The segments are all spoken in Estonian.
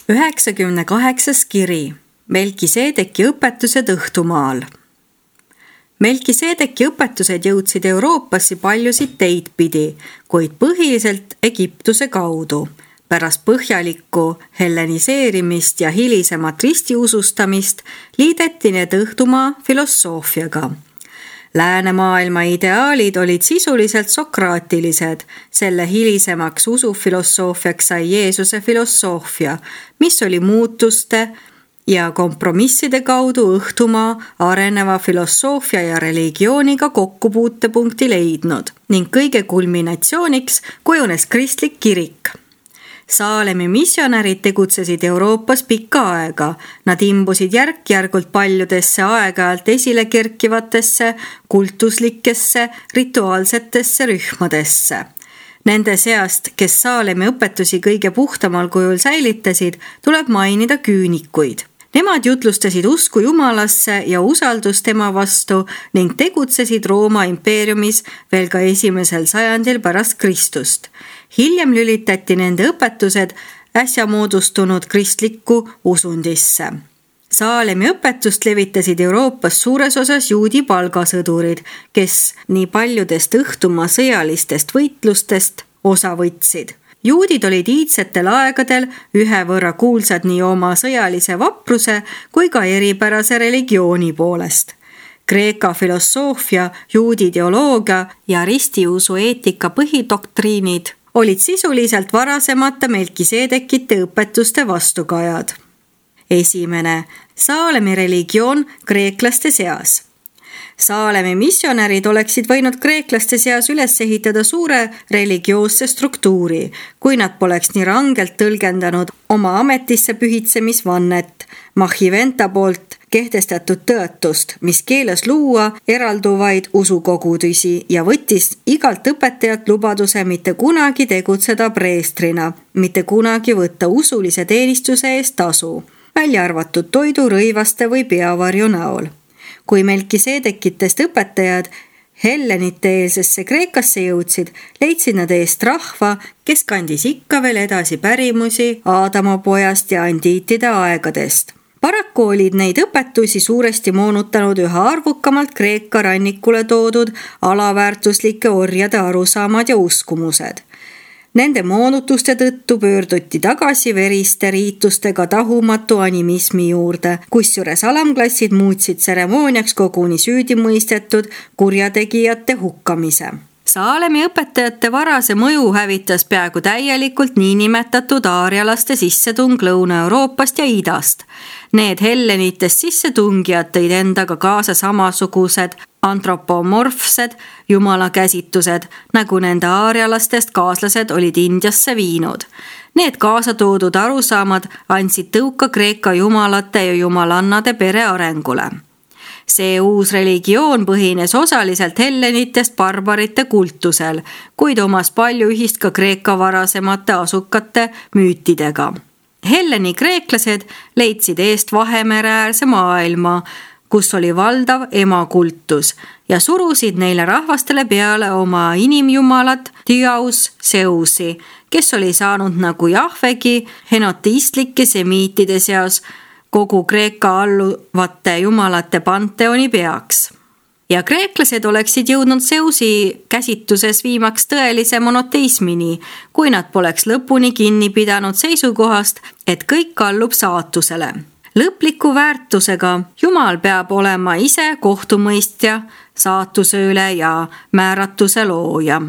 98. kiri. Melkiseedeki õpetused õhtumaal. Melkiseedeki õpetused jõudsid Euroopasse paljusid teid pidi, kuid põhiliselt Egiptuse kaudu. Pärast põhjalikku helleniseerimist ja hilisemat ristiusustamist liideti need õhtumaa filosoofiaga. Läänemaailma ideaalid olid sisuliselt sokraatilised, selle hilisemaks usufilosoofiaks sai Jeesuse filosoofia, mis oli muutuste ja kompromisside kaudu õhtumaa areneva filosoofia ja religiooniga kokkupuutepunkti leidnud ning kõige kulminatsiooniks kujunes kristlik kirik. Saalemi missionärid tegutsesid Euroopas pikka aega. Nad imbusid järk-järgult paljudesse aeg-ajalt esile kerkivatesse, kultuslikesse, rituaalsetesse rühmadesse. Nende seast, kes Saalemi õpetusi kõige puhtamal kujul säilitasid, tuleb mainida küünikuid. Nemad jutlustasid usku Jumalasse ja usaldust tema vastu ning tegutsesid Rooma impeeriumis veel ka 1. sajandil pärast Kristust. Hiljem lülitati nende õpetused äsja moodustunud kristlikku usundisse. Saalemi õpetust levitasid Euroopas suures osas juudi palgasõdurid, kes nii paljudest õhtumaa sõjalistest võitlustest osa võtsid. Juudid olid iidsetel aegadel ühe võrra kuulsad nii oma sõjalise vapruse kui ka eripärase religiooni poolest. Kreeka filosoofia, juudi ideoloogia ja ristiusu eetika põhidoktriinid olid sisuliselt varasemate Melkiseedekite õpetuste vastukajad. 1. Saalemi religioon kreeklaste seas. Saalemi missionärid oleksid võinud kreeklaste seas üles ehitada suure religioosse struktuuri, kui nad poleks nii rangelt tõlgendanud oma ametisse pühitsemisvannet, Mahiventa poolt kehtestatud tõotust, mis keelas luua eralduvaid usukogudusi ja võttis igalt õpetajat lubaduse mitte kunagi tegutseda preestrina, mitte kunagi võtta usulise teenistuse eest tasu, välja arvatud toidu, rõivaste või peavarju näol. Kui Melkiseedekitest õpetajad hellenite-eelsesse Kreekasse jõudsid, leidsid nad eest rahva, kes kandis ikka veel edasi pärimusi Aadama pojast ja andiitide aegadest. Paraku olid neid õpetusi suuresti moonutanud üha arvukamalt Kreeka rannikule toodud alaväärtuslike orjade arusaamad ja uskumused. Nende moonutuste tõttu pöörduti tagasi veriste riitustega tahumatu animismi juurde, kusjuures alamklassid muutsid tseremooniaks koguni süüdimõistetud kurjategijate hukkamise. Saalemi õpetajate varase mõju hävitas peaaegu täielikult niinimetatud aarialaste sissetung Lõuna-Euroopast ja Idast. Need hellenitest sissetungijad tõid endaga kaasa samasugused antropomorfsed jumalakäsitused, nagu nende aarialastest kaaslased olid Indiasse viinud. Need kaasatoodud arusaamad andsid tõuka Kreeka jumalate ja jumalannade pere arengule. See uus religioon põhines osaliselt hellenitest barbarite kultusel, kuid omas palju ühist ka Kreeka varasemate asukate müütidega. Helleni kreeklased leidsid eest Vahemereäärse maailma, kus oli valdav emakultus ja surusid neile rahvastele peale oma inimjumalat Diaus Zeusi, kes oli saanud nagu Jahvegi henoteistlike semiitide seas kogu Kreeka alluvate jumalate panteoni peaks. Ja kreeklased oleksid jõudnud Zeusi käsituses viimaks tõelise monoteismini, kui nad poleks lõpuni kinni pidanud seisukohast, et kõik allub saatusele. Lõpliku väärtusega Jumal peab olema ise kohtumõistja, saatuse üle ja määratuse looja.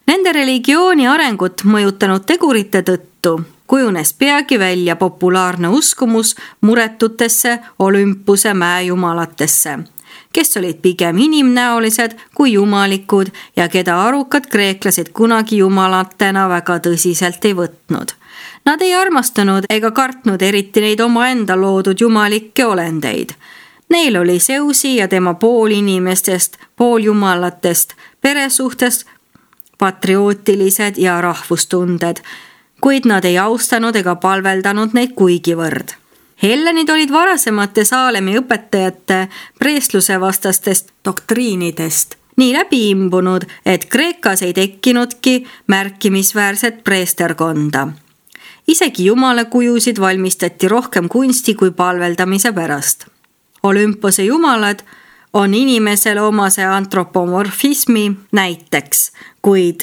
Nende religiooni arengut mõjutanud tegurite tõttu kujunes peagi välja populaarne uskumus muretutesse Olümpuse mäejumalatesse, kes olid pigem inimnäolised kui jumalikud ja keda arukad kreeklased kunagi jumalatena väga tõsiselt ei võtnud. Nad ei armastanud ega kartnud eriti neid omaenda loodud jumalikke olendeid. Neil oli Zeusi ja tema poolinimestest, pooljumalatest, peresuhtest patriootilised ja rahvustunded, kuid nad ei austanud ega palveldanud neid kuigivõrd. Hellenid olid varasemate Saalemi õpetajate preesluse vastastest doktriinidest nii läbi imbunud, et Kreekas ei tekkinudki märkimisväärset preesterkonda. Isegi jumalakujusid valmistati rohkem kunsti kui palveldamise pärast. Olümpose jumalad on inimesele omase antropomorfismi näiteks, kuid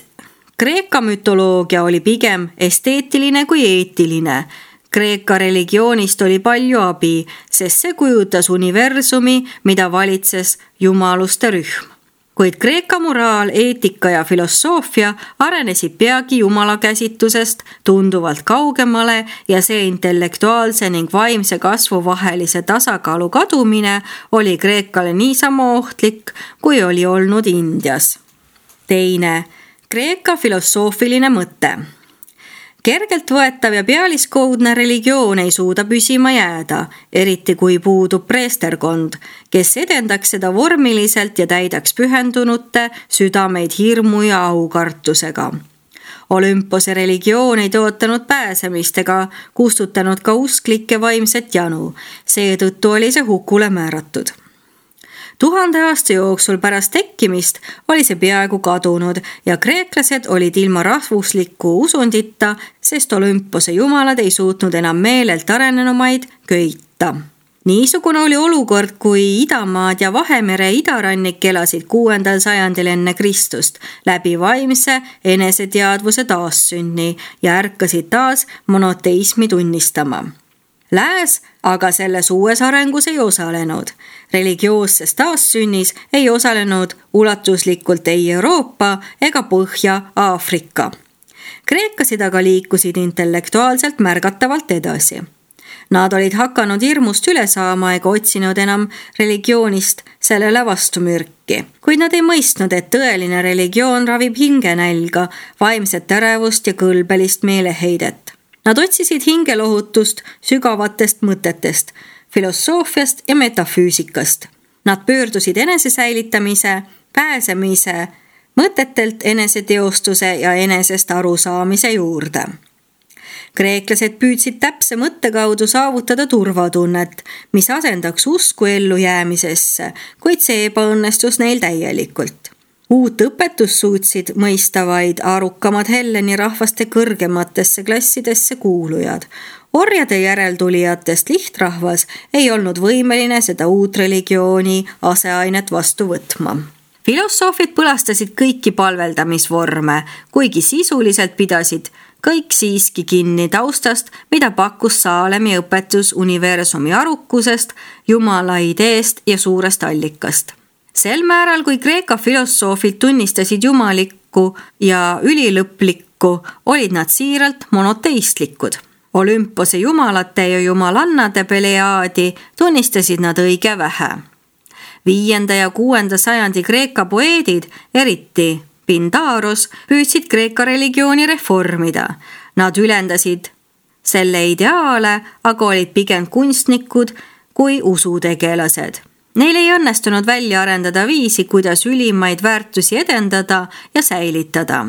Kreeka mütoloogia oli pigem esteetiline kui eetiline. Kreeka religioonist oli palju abi, sest see kujutas universumi, mida valitses jumaluste rühm. Kuid Kreeka moraal, eetika ja filosoofia arenesid peagi jumala käsitusest tunduvalt kaugemale ja see intellektuaalse ning vaimse kasvu vahelise tasakaalu kadumine oli Kreekale niisama ohtlik, kui oli olnud Indias. Teine, Kreeka filosoofiline mõte. Kergelt võetav ja pealiskoudne religioon ei suuda püsima jääda, eriti kui puudub preesterkond, kes edendaks seda vormiliselt ja täidaks pühendunute südameid hirmu ja aukartusega. Olümpose religioon ei tootanud pääsemist ega kustutanud ka usklike vaimset janu, seetõttu oli see hukule määratud. 1000 aasta jooksul pärast tekkimist oli see peaaegu kadunud ja kreeklased olid ilma rahvusliku usundita, sest Olümpose jumalad ei suutnud enam meelelt arenenumaid köita. Niisugune oli olukord, kui Idamaad ja Vahemere idarannik elasid 6. sajandil enne Kristust läbi vaimse eneseteadvuse taassünni ja ärkasid taas monoteismi tunnistama. Lääs aga selles uues arengus ei osalenud. Religioosses taassünnis ei osalenud ulatuslikult ei Euroopa ega Põhja-Aafrika. Kreekasid aga liikusid intellektuaalselt märgatavalt edasi. Nad olid hakanud hirmust üle saama ega otsinud enam religioonist sellele vastumürki. Kuid nad ei mõistnud, et tõeline religioon ravib hingenälga, vaimset ärevust ja kõlbelist meeleheidet. Nad otsisid hingelohutust sügavatest mõtetest, filosoofiast ja metafüüsikast. Nad pöördusid enesesäilitamise, pääsemise, mõtetelt eneseteostuse ja enesest arusaamise juurde. Kreeklased püüdsid täpse mõtte kaudu saavutada turvatunnet, mis asendaks usku ellujäämisesse, kuid see ebaõnnestus neil täielikult. Uut õpetust suutsid mõista vaid arukamad Helleni rahvaste kõrgematesse klassidesse kuulujad. Orjade järeltulijatest lihtrahvas ei olnud võimeline seda uut religiooni aseainet vastu võtma. Filosoofid põlastasid kõiki palveldamisvorme, kuigi sisuliselt pidasid kõik siiski kinni taustast, mida pakkus Saalemi õpetus universumi arukusest, jumala ideest ja suurest allikast. Sel määral, kui Kreeka filosoofid tunnistasid jumalikku ja ülilõplikku, olid nad siiralt monoteistlikud. Olümpose jumalate ja jumalannade Peleaadi tunnistasid nad õige vähe. 5. ja 6. sajandi Kreeka poeedid, eriti Pindaros, püüdsid Kreeka religiooni reformida. Nad ülendasid selle ideaale, aga olid pigem kunstnikud kui usutegelased. Neil ei õnnestunud välja arendada viisi, kuidas ülimaid väärtusi edendada ja säilitada.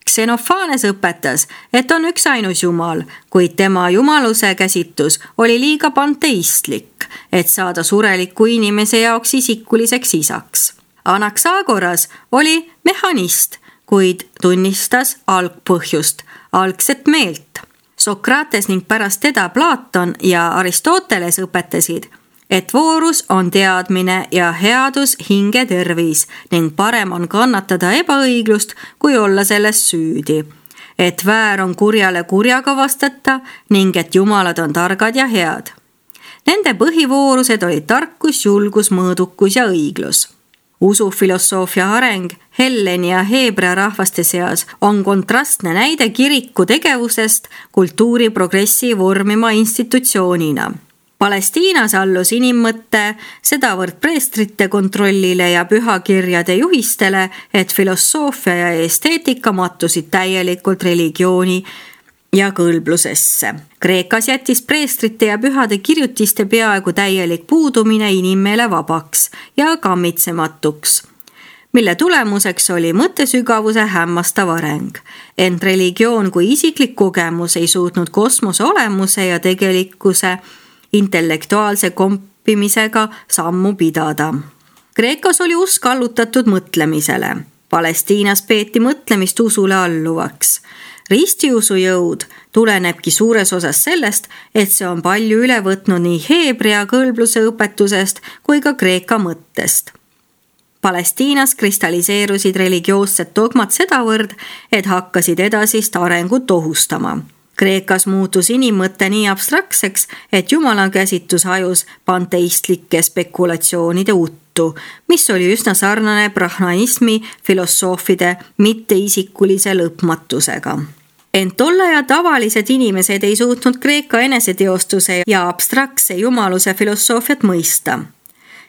Xenophanes õpetas, et on üks ainus jumal, kuid tema jumaluse käsitus oli liiga panteistlik, et saada sureliku inimese jaoks isikuliseks isaks. Anaxagoras oli mehhanist, kuid tunnistas algpõhjust, algset meelt. Sokrates ning pärast teda Platon ja Aristoteles õpetasid, et voorus on teadmine ja headus hinge tervis ning parem on kannatada ebaõiglust, kui olla selles süüdi. Et väär on kurjale kurjaga vastata ning et jumalad on targad ja head. Nende põhivoorused olid tarkus, julgus, mõõdukus ja õiglus. Usufilosoofia areng Helleni ja Heebrea rahvaste seas on kontrastne näide kiriku tegevusest kultuuri progressi vormima institutsioonina. Palestiinas allus inimmõtte sedavõrd preestrite kontrollile ja pühakirjade juhistele, et filosoofia ja esteetika mattusid täielikult religiooni ja kõlblusesse. Kreekas jättis preestrite ja pühade kirjutiste peaaegu täielik puudumine inimmeele vabaks ja kammitsematuks, mille tulemuseks oli mõttesügavuse hämmastav areng. Ent religioon kui isiklik kogemus ei suutnud kosmose olemuse ja tegelikkuse intellektuaalse kompimisega sammu pidada. Kreekas oli usk allutatud mõtlemisele. Palestiinas peeti mõtlemist usule alluvaks. Ristiusu jõud tulenebki suures osas sellest, et see on palju üle võtnud nii heebrea kõlbluse õpetusest kui ka kreeka mõttest. Palestiinas kristalliseerusid religioossed dogmad sedavõrd, et hakkasid edasist arengut ohustama. Kreekas muutus inimmõte nii abstraktseks, et jumala käsitus hajus panteistlike spekulatsioonide uttu, mis oli üsna sarnane brahmanismi filosoofide mitteisikkulise lõpmatusega. Ent tolle ja tavalised inimesed ei suutnud Kreeka eneseteostuse ja abstraktse jumaluse filosoofiat mõista.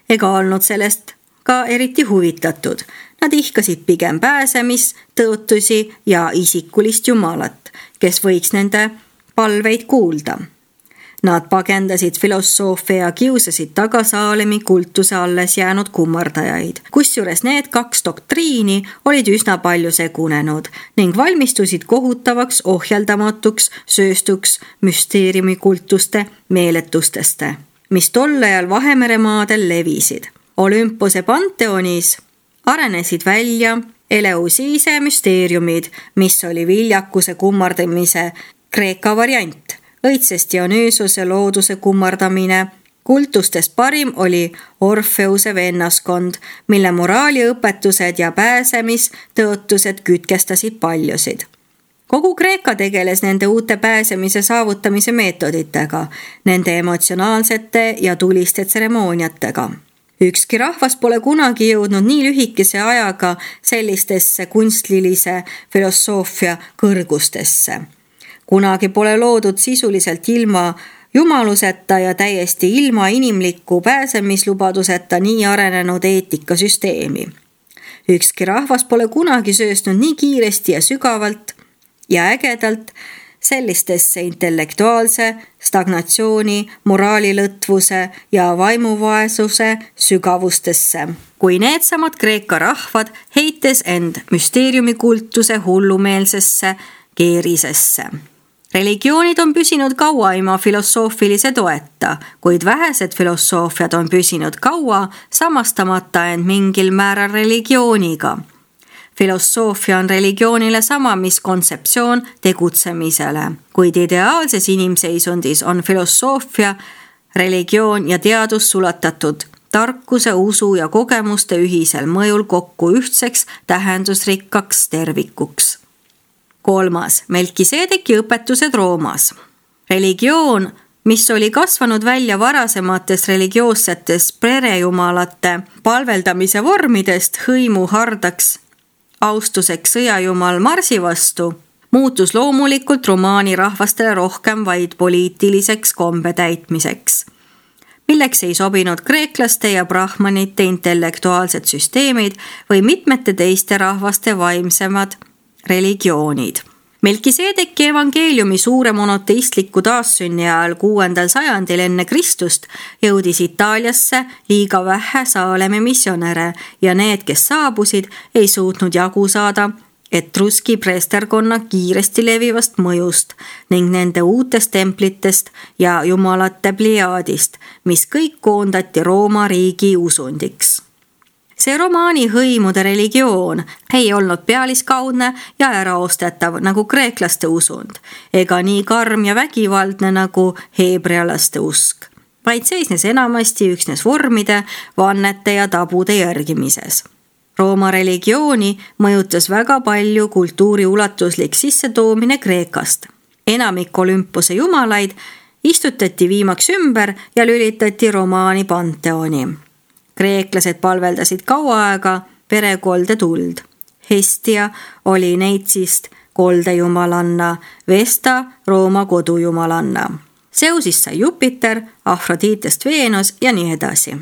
Ega olnud sellest ka eriti huvitatud. Nad ihkasid pigem pääsemis, tõotusi ja isikulist jumalat, kes võiks nende palveid kuulda. Nad pagendasid filosoofia ja kiusasid taga Saalemi kultuse alles jäänud kummardajaid, kusjuures need 2 doktriini olid üsna palju segunenud ning valmistusid kohutavaks ohjeldamatuks sööstuks müsteeriumikultuste meeletusteste, mis tol ajal Vahemeremaadel levisid. Olümpose panteonis arenesid välja Eleusiise müsteeriumid, mis oli viljakuse kummardamise Kreeka variant. Õitsest Dionysiose looduse kummardamine. Kultustest parim oli Orfeuse vennaskond, mille moraaliõpetused ja pääsemistõotused kütkestasid paljusid. Kogu Kreeka tegeles nende uute pääsemise saavutamise meetoditega, nende emotsionaalsete ja tuliste tseremooniatega. Ükski rahvas pole kunagi jõudnud nii lühikese ajaga sellistesse kunstlilise filosoofia kõrgustesse. Kunagi pole loodud sisuliselt ilma jumaluseta ja täiesti ilma inimliku pääsemislubaduseta nii arenenud eetikasüsteemi. Ükski rahvas pole kunagi sööstnud nii kiiresti ja sügavalt ja ägedalt sellistesse intellektuaalse stagnatsiooni, moraalilõtvuse ja vaimuvaesuse sügavustesse, kui needsamad Kreeka rahvad heites end müsteeriumikultuse hullumeelsesse keerisesse. Religioonid on püsinud kaua ilma filosoofilise toeta, kuid vähesed filosoofiad on püsinud kaua samastamata end mingil määral religiooniga. Filosoofia on religioonile sama, mis kontseptsioon tegutsemisele, kuid ideaalses inimseisundis on filosoofia, religioon ja teadus sulatatud tarkuse, usu ja kogemuste ühisel mõjul kokku ühtseks tähendusrikkaks tervikuks. 3. Melkiseedeki õpetused Roomas. Religioon, mis oli kasvanud välja varasemates religioossetes perejumalate palveldamise vormidest hõimu hardaks austuseks sõjajumal Marsi vastu, muutus loomulikult romaani rahvastele rohkem vaid poliitiliseks kombe täitmiseks, milleks ei sobinud kreeklaste ja brahmanite intellektuaalsed süsteemid või mitmete teiste rahvaste vaimsemad religioonid. Melkiseedeki evangeeliumi suure monoteistliku taassünni ajal 6. sajandil enne Kristust jõudis Itaaliasse liiga vähe Saalemi missionäre ja need, kes saabusid, ei suutnud jagu saada etruski preesterkonna kiiresti levivast mõjust ning nende uutest templitest ja jumalate pliaadist, mis kõik koondati Rooma riigi usundiks. See romaani hõimude religioon ei olnud pealiskaudne ja äraostetav nagu kreeklaste usund, ega nii karm ja vägivaldne nagu heebrealaste usk, vaid seisnes enamasti üksnes vormide, vannete ja tabude järgimises. Rooma religiooni mõjutas väga palju kultuuri ulatuslik sissetoomine Kreekast. Enamik Olümpose jumalaid istutati viimaks ümber ja lülitati romaani panteoni. Kreeklased palveldasid kaua aega perekolde tuld. Hestia oli Neitsist koldejumalanna, Vesta Rooma kodujumalanna. Zeusist sai Jupiter, Afroditest Veenus ja nii edasi.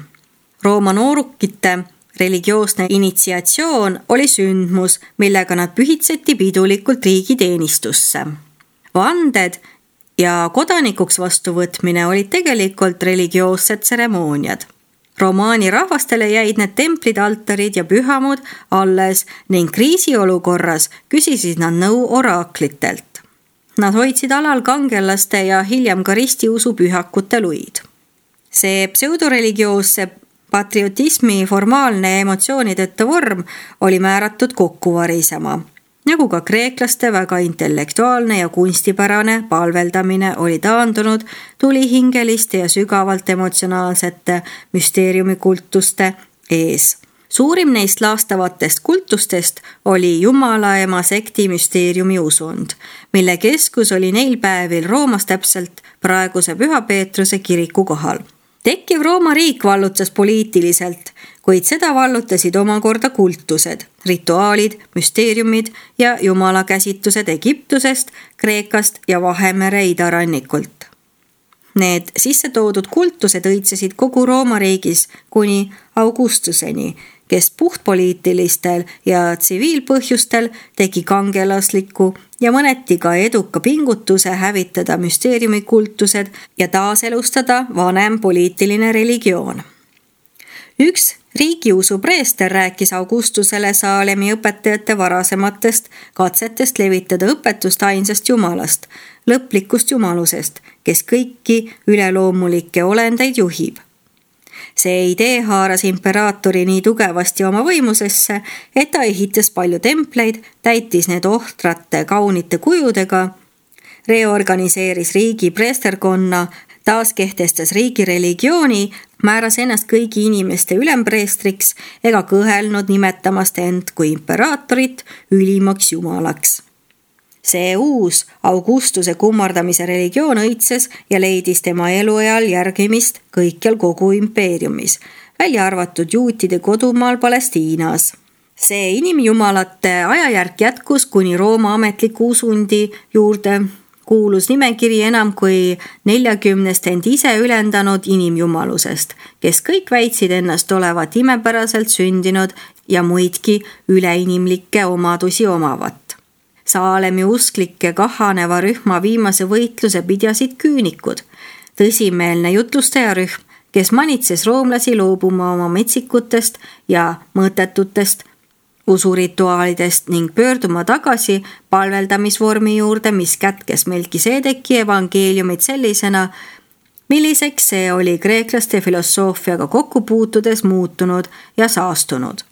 Rooma noorukite religioosne initsiatsioon oli sündmus, millega nad pühitseti pidulikult riigiteenistusse. Vanded ja kodanikuks vastuvõtmine olid tegelikult religioossed tseremooniad. Romaani rahvastele jäid need templid, altarid ja pühamud alles ning kriisiolukorras küsisid nad nõu oraaklitelt. Nad hoidsid alal kangelaste ja hiljem ka ristiusu pühakute luid. See pseudoreligioosse patriotismi formaalne emotsioonideta vorm oli määratud kokku varisema. nagu ka kreeklaste väga intellektuaalne ja kunstipärane palveldamine oli taandunud tulihingeliste ja sügavalt emotsionaalsete müsteeriumikultuste ees. Suurim neist laastavatest kultustest oli Jumalaema sekti müsteeriumi usund, mille keskus oli neil päevil Roomas täpselt praeguse Püha Peetruse kiriku kohal. Tekkiv Rooma riik vallutas poliitiliselt, kuid seda vallutasid omakorda kultused, rituaalid, müsteeriumid ja jumalakäsitused Egiptusest, Kreekast ja Vahemere idarannikult. Need sisse toodud kultused õitsesid kogu Rooma riigis kuni Augustuseni, kes puhtpoliitilistel ja tsiviilpõhjustel tegi kangelasliku ja mõneti ka eduka pingutuse hävitada müsteeriumikultused ja taaselustada vanem poliitiline religioon. Üks riigiusu preester rääkis Augustusele Saalemi õpetajate varasematest katsetest levitada õpetust ainsast jumalast, lõplikust jumalusest, kes kõiki üleloomulikke olendeid juhib. See idee haaras imperaatori nii tugevasti oma võimusesse, et ta ehitas palju templeid, täitis need ohtrate kaunite kujudega, reorganiseeris riigi preesterkonna, taaskehtestas riigi religiooni, määras ennast kõigi inimeste ülempreestriks ega kõhelnud nimetamast end kui imperaatorit ülimaks jumalaks. See uus Augustuse kummardamise religioon õitses ja leidis tema eluajal järgimist kõikjal kogu impeeriumis, välja arvatud juutide kodumaal Palestiinas. See inimjumalate ajajärk jätkus kuni Rooma ametliku usundi juurde kuulus nimekiri enam kui 40 end ise ülendanud inimjumalusest, kes kõik väitsid ennast olevat imepäraselt sündinud ja muidki üleinimlikke omadusi omavat. Saalemi usklike kahaneva rühma viimase võitluse pidjasid küünikud, tõsimeelne jutlustajarühm, kes manitses roomlasi loobuma oma metsikutest ja mõõtetutest usurituaalidest ning pöörduma tagasi palveldamisvormi juurde, mis kätkes Melkiseedeki evangeeliumit sellisena, milliseks see oli kreeklaste filosoofiaga kokku puutudes muutunud ja saastunud.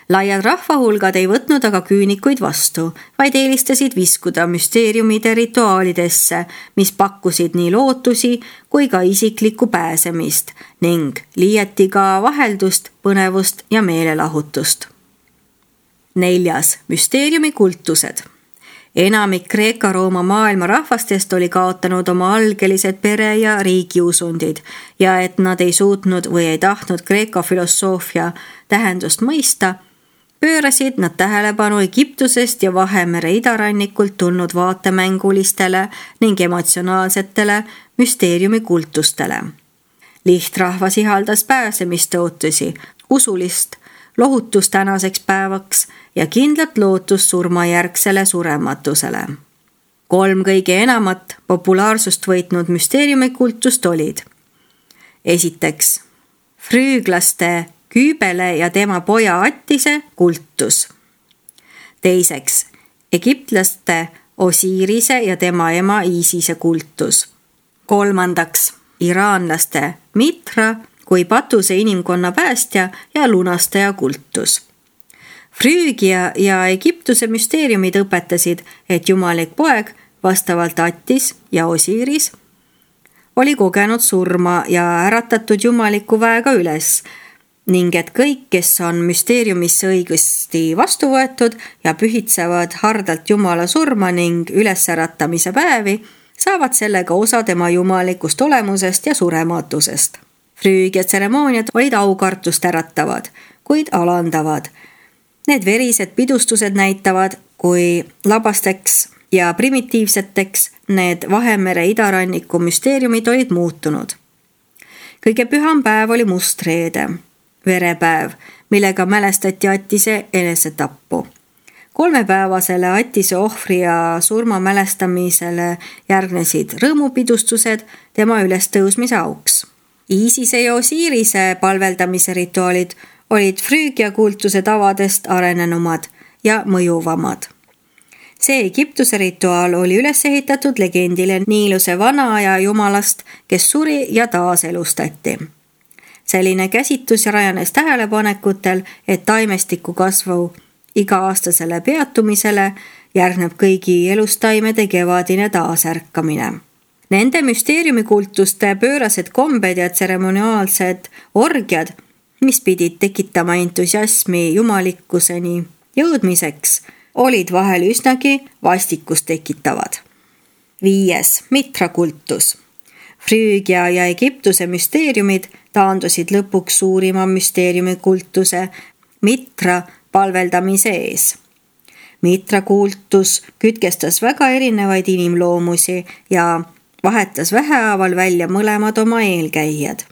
Laiad rahvahulgad ei võtnud aga küünikuid vastu, vaid eelistasid viskuda müsteeriumide rituaalidesse, mis pakkusid nii lootusi kui ka isiklikku pääsemist ning liieti ka vaheldust, põnevust ja meelelahutust. 4. Müsteeriumikultused. Enamik Kreeka-Rooma maailma rahvastest oli kaotanud oma algelised pere- ja riigiusundid ja et nad ei suutnud või ei tahtnud Kreeka filosoofia tähendust mõista, pöörasid nad tähelepanu Egiptusest ja Vahemere idarannikult tulnud vaatemängulistele ning emotsionaalsetele müsteeriumikultustele. Lihtrahvas ihaldas pääsemistootusi, usulist lohutust tänaseks päevaks ja kindlat lootust surmajärgsele surematusele. 3 kõige enamat populaarsust võitnud müsteeriumikultust olid: esiteks, früüklaste Küübele ja tema poja Attise kultus. Teiseks, egiptlaste Osirise ja tema ema Iisise kultus. 3. iraanlaste Mitra kui patuse inimkonna päästja ja lunastaja kultus. Früügia ja Egiptuse müsteeriumid õpetasid, et jumalik poeg, vastavalt Attis ja Osiris, oli kogenud surma ja äratatud jumaliku väega üles, ning et kõik, kes on müsteeriumisse õigesti vastu võetud ja pühitsevad hardalt Jumala surma ning ülesäratamise päevi, saavad sellega osa tema jumalikust olemusest ja surematusest. Früügia tseremooniad olid aukartust äratavad, kuid alandavad. Need verised pidustused näitavad, kui labasteks ja primitiivseteks need Vahemere idaranniku müsteeriumid olid muutunud. Kõige püham päev oli mustreede, verepäev, millega mälestati Attise enesetappu. 3-päevasele Attise ohvri ja surma mälestamisele järgnesid rõõmupidustused tema ülestõusmise auks. Iisise ja Osirise palveldamise rituaalid olid Früügia kultuse tavadest arenenumad ja mõjuvamad. See Egiptuse rituaal oli üles ehitatud legendile Niiluse vanaaja jumalast, kes suri ja taaselustati. Selline käsitus rajanes tähelepanekutel, et taimestiku kasvu iga-aastasele peatumisele järgneb kõigi elustaimede kevadine taasärkamine. Nende müsteeriumikultuste pöörased kombed ja tseremoniaalsed orgiad, mis pidid tekitama entusiasmi jumalikkuseni jõudmiseks, olid vahel üsnagi vastikust tekitavad. 5. Mitra-kultus. Früügia ja Egiptuse müsteeriumid taandusid lõpuks suurima müsteeriumikultuse Mitra palveldamise ees. Mitra-kultus kütkestas väga erinevaid inimloomusi ja vahetas vähehaaval välja mõlemad oma eelkäijad.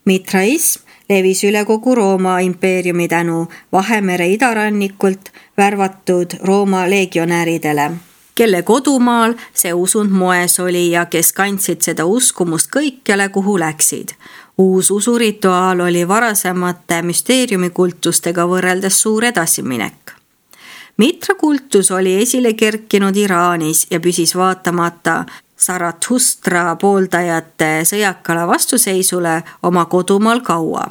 Mitraism levis üle kogu Rooma impeeriumi tänu Vahemere idarannikult värvatud Rooma legionääridele, kelle kodumaal see usund moes oli ja kes kandsid seda uskumust kõikjale, kuhu läksid. Uus usurituaal oli varasemate müsteeriumikultustega võrreldes suur edasiminek. Mitra-kultus oli esile kerkinud Iraanis ja püsis vaatamata Zarathustra pooldajate sõjakale vastuseisule oma kodumaal kaua.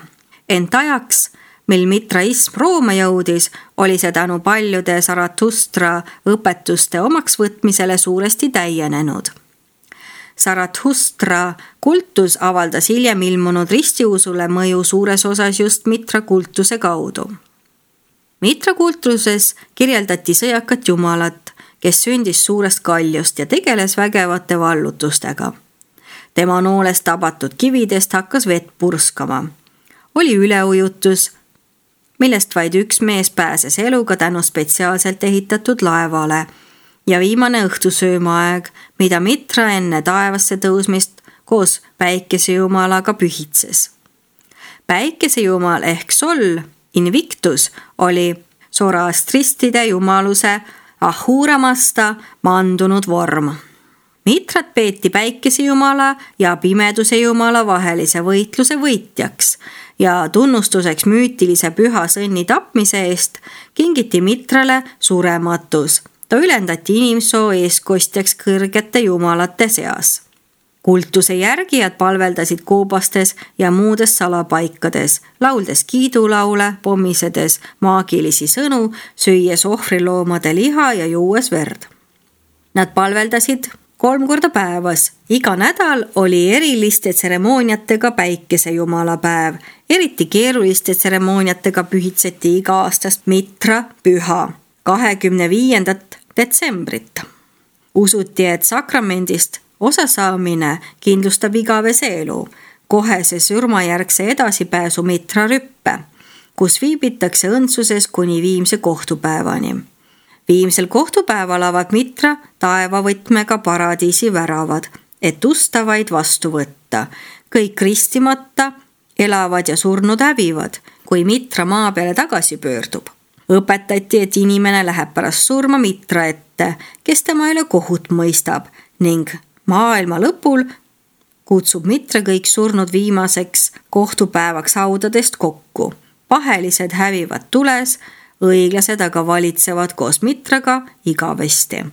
Ent ajaks, mil mitraism Rooma jõudis, oli see tänu paljude Zarathustra õpetuste omaksvõtmisele suuresti täienenud. Zarathustra kultus avaldas hiljem ilmunud ristiusule mõju suures osas just Mitra-kultuse kaudu. Mitra-kultuses kirjeldati sõjakat jumalat, kes sündis suurest kaljust ja tegeles vägevate vallutustega. Tema noolest tabatud kividest hakkas vett purskama. Oli üleujutus, millest vaid üks mees pääses eluga tänu spetsiaalselt ehitatud laevale ja viimane õhtusöömaaeg, mida Mitra enne taevasse tõusmist koos päikesejumalaga pühitses. Päikesejumal ehk Sol Invictus oli Zoroastristide jumaluse Ahura Mazda mandunud vorm. Mitrat peeti päikesejumala ja pimeduse jumala vahelise võitluse võitjaks ja tunnustuseks müütilise püha sõnni tapmise eest kingiti Mitrale surematus. Ta ülendati inimsoo eeskostjaks kõrgete jumalate seas. Kultuse järgijad palveldasid koobastes ja muudes salapaikades, lauldes kiidulaule, pommisedes maagilisi sõnu, süües ohvriloomade liha ja juues verd. Nad palveldasid 3 korda päevas. Iga nädal oli eriliste tseremooniatega päikesejumala päev. Eriti keeruliste tseremooniatega pühitseti iga-aastast Mitra püha 25. detsembrit. Usuti, et sakramendist osasaamine kindlustab igavese elu, kohese surmajärgse edasipääsu Mitra rüppe, kus viibitakse õndsuses kuni viimse kohtupäevani. Viimsel kohtupäeval avad Mitra taevavõtmega paradiisi väravad, et ustavaid vastu võtta. Kõik ristimata elavad ja surnud hävivad, kui Mitra maa peale tagasi pöördub. Õpetati, et inimene läheb pärast surma Mitra ette, kes tema üle kohut mõistab ning maailma lõpul kutsub Mitra kõik surnud viimaseks kohtupäevaks haudadest kokku. Pahelised hävivad tules, õiglased aga valitsevad koos Mitraga igavesti.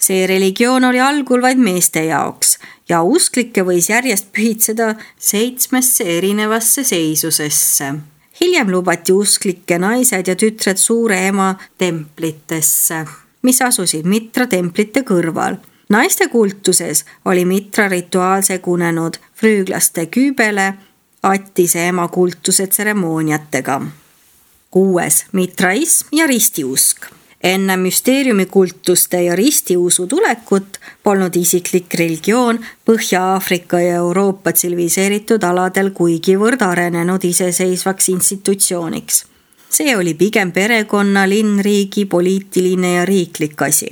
See religioon oli algul vaid meeste jaoks ja usklikke võis järjest pühitseda 7 erinevasse seisusesse. Hiljem lubati usklikke naised ja tütred suure ema templitesse, mis asusid Mitra templite kõrval. Naiste kultuses oli Mitra rituaal segunenud früüklaste küübele Attise ema kultuse tseremooniatega. 6. Mitraism ja ristiusk. Enne müsteeriumikultuste ja ristiusu tulekut polnud isiklik religioon Põhja-Aafrika ja Euroopa tsiviliseeritud aladel kuigivõrd arenenud iseseisvaks institutsiooniks. See oli pigem perekonna, linnriigi, poliitiline ja riiklik asi.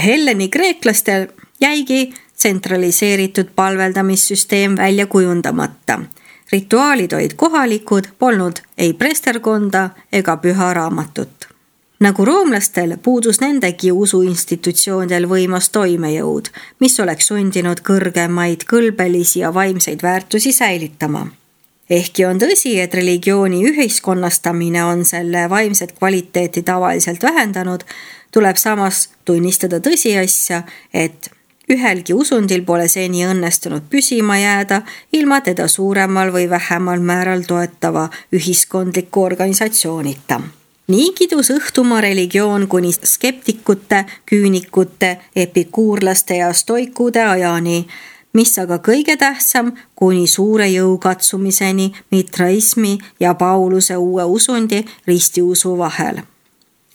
Helleni kreeklastel jäigi tsentraliseeritud palveldamissüsteem välja kujundamata. Rituaalid olid kohalikud, polnud ei presterkonda ega püha raamatut. Nagu roomlastel puudus nendegi usuinstitutsioonidel võimas toimejõud, mis oleks sundinud kõrgemaid kõlbelisi ja vaimseid väärtusi säilitama. Ehkki on tõsi, et religiooni ühiskonnastamine on selle vaimset kvaliteeti tavaliselt vähendanud, tuleb samas tunnistada tõsiasja, et ühelgi usundil pole seni õnnestunud püsima jääda ilma teda suuremal või vähemal määral toetava ühiskondliku organisatsioonita. Nii kidus õhtumaa religioon kuni skeptikute, küünikute, epikuurlaste ja stoikude ajani, mis aga kõige tähtsam kuni suure jõukatsumiseni mitraismi ja Pauluse uue usundi ristiusu vahel.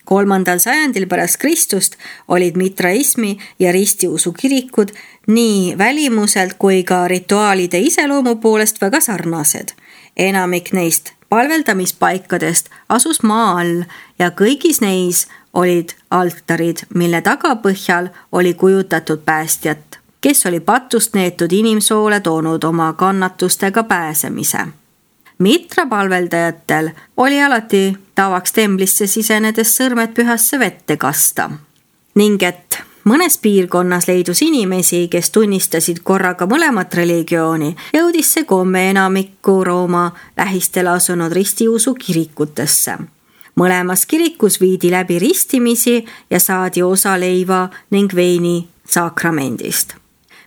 3. sajandil pärast Kristust olid mitraismi ja ristiusu kirikud nii välimuselt kui ka rituaalide iseloomu poolest väga sarnased. Enamik neist palveldamispaikadest asus maa all ja kõigis neis olid altarid, mille tagapõhjal oli kujutatud päästjat, kes oli patust neetud inimsoole toonud oma kannatustega pääsemise. Mitra palveldajatel oli alati tavaks templisse sisenedes sõrmed pühasse vette kasta ning et mõnes piirkonnas leidus inimesi, kes tunnistasid korraga mõlemat religiooni, jõudis see komme enamikku Rooma lähistele asunud ristiusu kirikutesse. Mõlemas kirikus viidi läbi ristimisi ja saadi osa leiva ning veini sakramendist.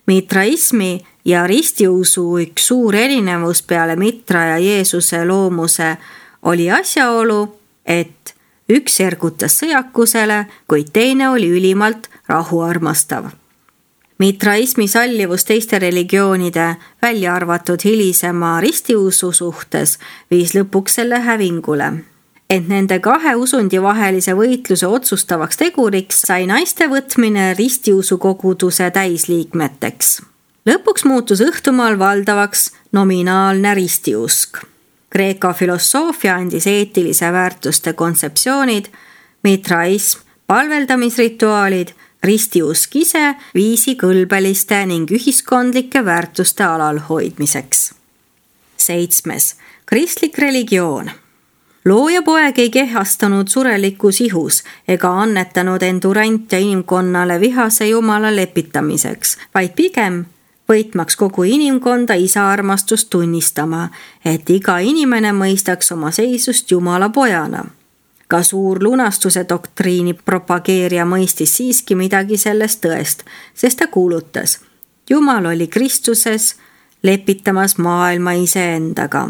Mitraismi ja ristiusu üks suur erinevus peale Mitra ja Jeesuse loomuse oli asjaolu, et üks ergutas sõjakusele, kuid teine oli ülimalt rahuarmastav. Mitraismi sallivus teiste religioonide, välja arvatud hilisema ristiusu suhtes, viis lõpuks selle hävingule. Et nende kahe usundi vahelise võitluse otsustavaks teguriks sai naiste võtmine ristiusu koguduse täisliikmeteks. Lõpuks muutus õhtumaal valdavaks nominaalne ristiusk. Kreeka filosoofia andis eetilise väärtuste kontseptsioonid, mitraism, palveldamisrituaalid, ristiusk ise viisi kõlbeliste ning ühiskondlike väärtuste alalhoidmiseks. 7. Kristlik religioon. Looja poeg ei kehastanud surelikus ihus ega annetanud endurant ja inimkonnale vihase jumala lepitamiseks, vaid pigem võitmaks kogu inimkonda isa armastust tunnistama, et iga inimene mõistaks oma seisust jumala pojana. Ka suur lunastuse doktriini propageerija mõistis siiski midagi sellest tõest, sest ta kuulutas, Jumal oli Kristuses lepitamas maailma iseendaga.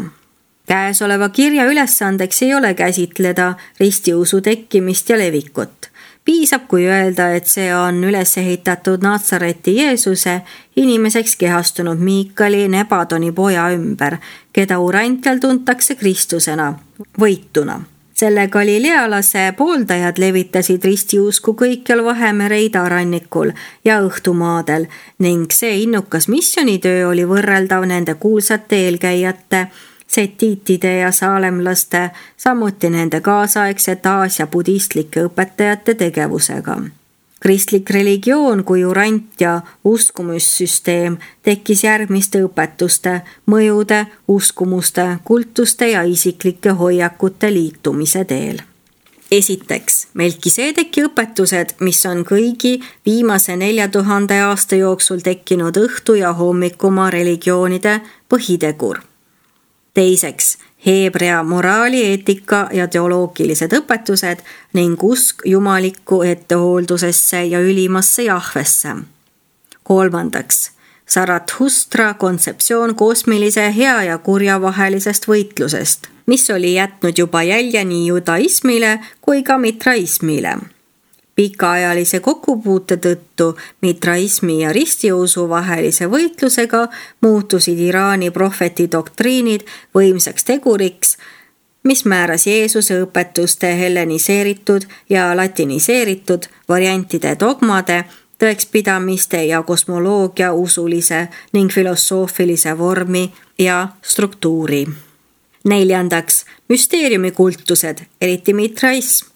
Käesoleva kirja ülesandeks ei ole käsitleda ristiusu tekkimist ja levikut. Piisab, kui öelda, et see on üles ehitatud Natsareti Jeesuse inimeseks kehastunud Miikali Nebadoni poja ümber, keda urantial tuntakse Kristusena, võituna. Selle galilealase pooldajad levitasid ristiusku kõikjal Vahemere idarannikul ja õhtumaadel ning see innukas missionitöö oli võrreldav nende kuulsate eelkäijate setiitide ja saalemlaste, samuti nende kaasaegsete Aasia budistlike õpetajate tegevusega. Kristlik religioon kui urant ja uskumussüsteem tekkis järgmiste õpetuste, mõjude, uskumuste, kultuste ja isiklike hoiakute liitumise teel. Esiteks, Melkisedeki õpetused, mis on kõigi viimase 4000 aasta jooksul tekkinud õhtu- ja hommikumaa religioonide põhitegur. Teiseks, Heebrea moraali, eetika ja teoloogilised õpetused ning usk jumalikku ettehooldusesse ja ülimasse Jahvesse. Kolmandaks, Zarathustra kontseptsioon kosmilise hea ja kurja vahelisest võitlusest, mis oli jätnud juba jälje nii judaismile kui ka mitraismile. Pikaajalise kokkupuute tõttu mitraismi ja ristiusu vahelise võitlusega muutusid Iraani prohveti doktriinid võimsaks teguriks, mis määras Jeesuse õpetuste helleniseeritud ja latiniseeritud variantide dogmade, tõekspidamiste ja kosmoloogia usulise ning filosoofilise vormi ja struktuuri. Neljandaks, müsteeriumikultused, eriti mitraism,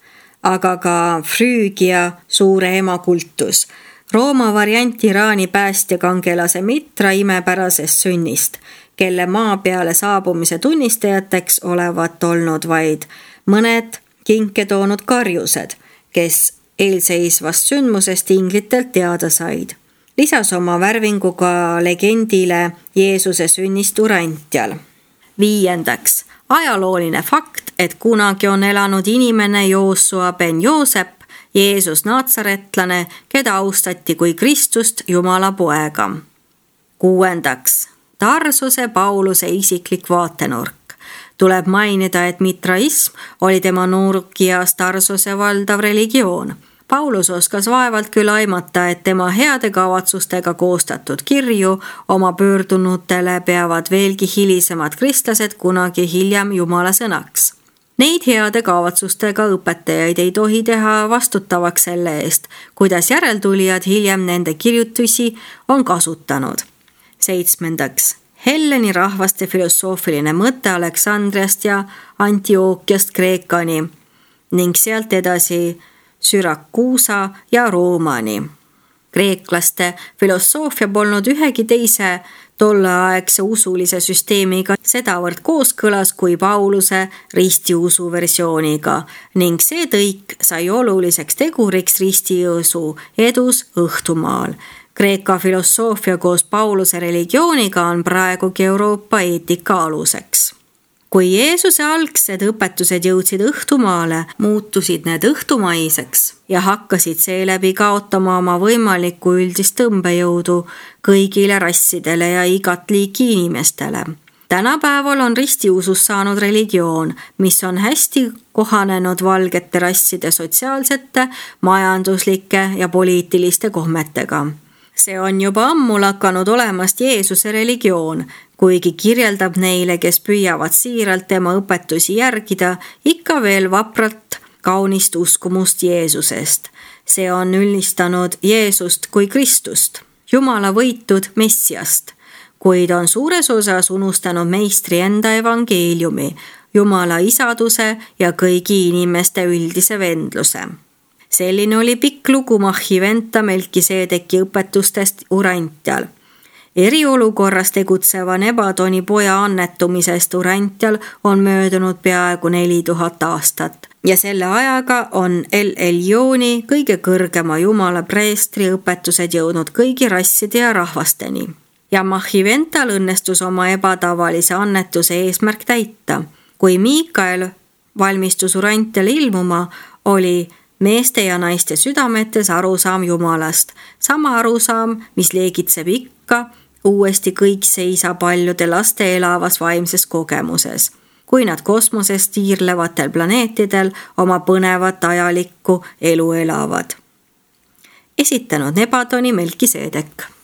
aga ka Früügia suure ema kultus, Rooma variant Iraani päästjakangelase Mitra imepärasest sünnist, kelle maa peale saabumise tunnistajateks olevat olnud vaid mõned kinke toonud karjused, kes eelseisvast sündmusest inglitelt teada said. Lisas oma värvinguga legendile Jeesuse sünnist urantial. Viiendaks, ajalooline fakt, et kunagi on elanud inimene Joosua ben Joosep, Jeesus Natsaretlane, keda austati kui Kristust Jumala poega. Kuuendaks, Tarsuse Pauluse isiklik vaatenurk. Tuleb mainida, et mitraism oli tema noorukias Tarsose valdav religioon. Paulus oskas vaevalt küll aimata, et tema heade kavatsustega koostatud kirju oma pöördunutele peavad veelgi hilisemad kristlased kunagi hiljem Jumala sõnaks. Neid heade kavatsustega õpetajaid ei tohi teha vastutavaks selle eest, kuidas järeltulijad hiljem nende kirjutusi on kasutanud. 7. Helleni rahvaste filosoofiline mõte Aleksandriast ja Antiookiast Kreekani ning sealt edasi Syrakuusa ja Roomani. Kreeklaste filosoofia polnud ühegi teise tolleaegse usulise süsteemiga sedavõrd kooskõlas kui Pauluse ristiusu versiooniga ning see tõik sai oluliseks teguriks ristiusu edus Õhtumaal. Kreeka filosoofia koos Pauluse religiooniga on praegugi Euroopa eetika aluseks. Kui Jeesuse algsed õpetused jõudsid Õhtumaale, muutusid need õhtumaiseks ja hakkasid seeläbi kaotama oma võimalikku üldist tõmbejõudu kõigile rassidele ja igat liiki inimestele. Tänapäeval on ristiusus saanud religioon, mis on hästi kohanenud valgete rasside sotsiaalsete, majanduslike ja poliitiliste kohmetega. See on juba ammu lakanud olemast Jeesuse religioon, kuigi kirjeldab neile, kes püüavad siiralt tema õpetusi järgida, ikka veel vapralt kaunist uskumust Jeesusest. See on üllistanud Jeesust kui Kristust, Jumala võitud Messiast, kuid on suures osas unustanud meistri enda evangeeliumi, Jumala isaduse ja kõigi inimeste üldise vendluse. Selline oli pikk lugu Mahhiventa Melkiseedeki õpetustest Urantial. Eriolukorras tegutseva Nebadoni poja annetumisest Urantial on möödunud peaaegu 4000 aastat ja selle ajaga on El Elioni kõige kõrgema Jumala preestri õpetused jõudnud kõigi rasside ja rahvasteni. Ja Mahhivental õnnestus oma ebatavalise annetuse eesmärk täita. Kui Miikael valmistus Urantial ilmuma, oli meeste ja naiste südametes arusaam Jumalast. Sama arusaam, mis leegitseb ikka uuesti kõik seisa paljude laste elavas vaimses kogemuses, kui nad kosmoses tiirlevatel planeetidel oma põnevat ajalikku elu elavad. Esitanud Nebadoni Melkiseedek.